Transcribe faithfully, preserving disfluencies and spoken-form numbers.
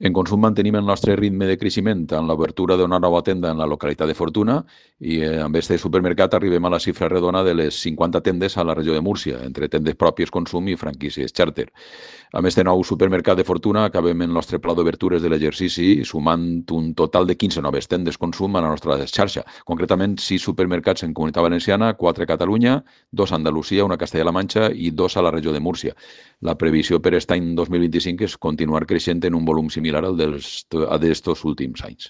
En consum mantenim el nostre ritme de creixement amb l'obertura d'una nova tenda en la localitat de Fortuna i eh, amb este supermercat arribem a la xifra redona de les cinquanta tendes a la regió de Múrcia, entre tendes pròpies consum i franquícies xàrter. Amb este nou supermercat de Fortuna acabem el nostre pla d'obertures de l'exercici sumant un total de quinze noves tendes consum a la nostra xarxa. Concretament, sis supermercats en Comunitat Valenciana, quatre a Catalunya, dos a Andalusia, una a Castella-La Manxa i dos a la regió de Múrcia. La previsió per aquest any dos mil vint-i-cinc és continuar creixent en un volum similar al dels d'estos últims anys.